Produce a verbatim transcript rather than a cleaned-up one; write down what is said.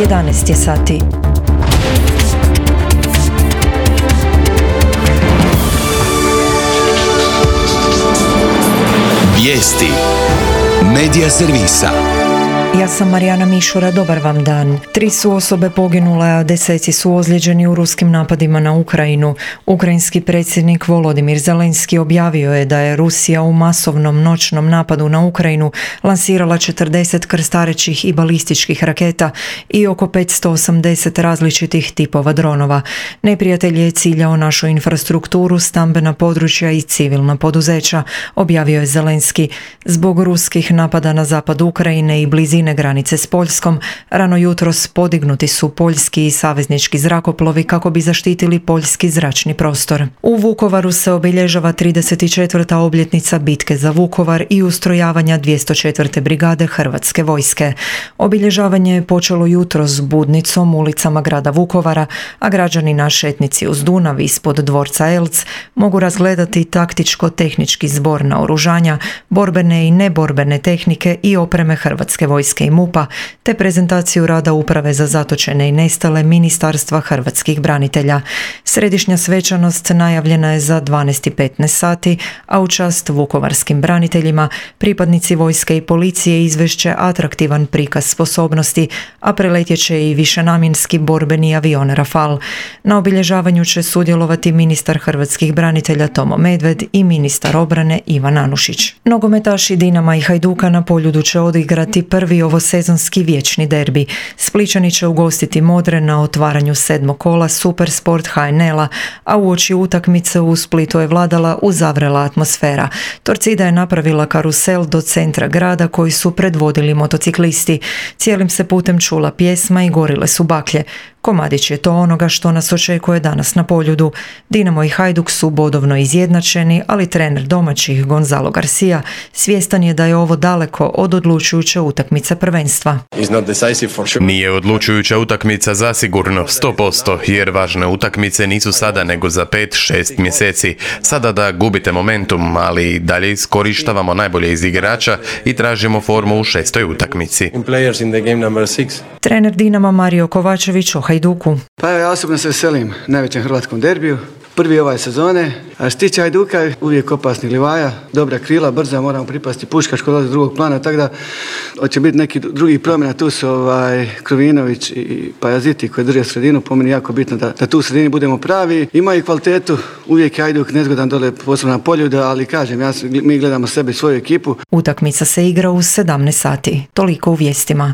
jedanaest je sati. Vijesti Medija servisa. Ja sam Marijana Mišura, dobar vam dan. Tri su osobe poginule, a deseci su ozlijeđeni u ruskim napadima na Ukrajinu. Ukrajinski predsjednik Volodimir Zelenski objavio je da je Rusija u masovnom noćnom napadu na Ukrajinu lansirala četrdeset krstarećih i balističkih raketa i oko petsto osamdeset različitih tipova dronova. Neprijatelj je ciljao našu infrastrukturu, stambena područja i civilna poduzeća, objavio je Zelenski. Zbog ruskih napada na zapad Ukrajine i blizine granice s Poljskom, rano jutros podignuti su poljski i saveznički zrakoplovi kako bi zaštitili poljski zračni prostor. U Vukovaru se obilježava trideset četvrta obljetnica bitke za Vukovar i ustrojavanja dvjesto četvrte brigade Hrvatske vojske. Obilježavanje je počelo jutros s budnicom ulicama grada Vukovara, a građani na šetnici uz Dunav ispod dvorca Elc mogu razgledati taktičko-tehnički zbor naoružanja, borbene i neborbene tehnike i opreme Hrvatske vojske i MUP-a, te prezentaciju rada Uprave za zatočene i nestale Ministarstva hrvatskih branitelja. Središnja svečanost najavljena je za dvanaest i petnaest sati, a u čast vukovarskim braniteljima pripadnici vojske i policije izvešće atraktivan prikaz sposobnosti, a preletjet će i višenamjenski borbeni avion Rafal. Na obilježavanju će sudjelovati ministar hrvatskih branitelja Tomo Medved i ministar obrane Ivan Anušić. Nogometaši Dinama i Hajduka na Poljudu će odigrati prvi ovosezonski vječni derbi. Splićani će ugostiti Modre na otvaranju sedmog kola Supersport H N L-a, a uoči utakmice u Splitu je vladala uzavrela atmosfera. Torcida je napravila karusel do centra grada koji su predvodili motociklisti. Cijelim se putem čula pjesma i gorile su baklje. Komadić je to onoga što nas očekuje danas na Poljudu. Dinamo i Hajduk su bodovno izjednačeni, ali trener domaćih Gonzalo Garcia svjestan je da je ovo daleko od odlučujuće utakmice prvenstva. Nije odlučujuća utakmica zasigurno, sto posto, jer važne utakmice nisu sada nego za pet šest mjeseci. Sada da gubite momentum, ali dalje iskorištavamo najbolje iz igrača i tražimo formu u šestoj utakmici. Trener Dinama Mario Kovačević o Hajduku. Pa ja osobno se veselim najvećem hrvatskom derbiju. Prvi ove sezone. A što se tiče Hajduka, uvijek opasni Livaja, dobra krila, brza, moramo pripasti Puškaš koji dolazi iz drugog plana, tako da hoće biti neki drugi promjena. Tu su ovaj, Krovinović i Pajaziti koji drže sredinu, po meni jako bitno da, da tu u sredini budemo pravi. Imaju kvalitetu, uvijek je Hajduk nezgodan dole posebno na Poljudu, ali kažem, ja, mi gledamo sebe i svoju ekipu. Utakmica se igra u sedamnaest sati. Toliko u vijestima.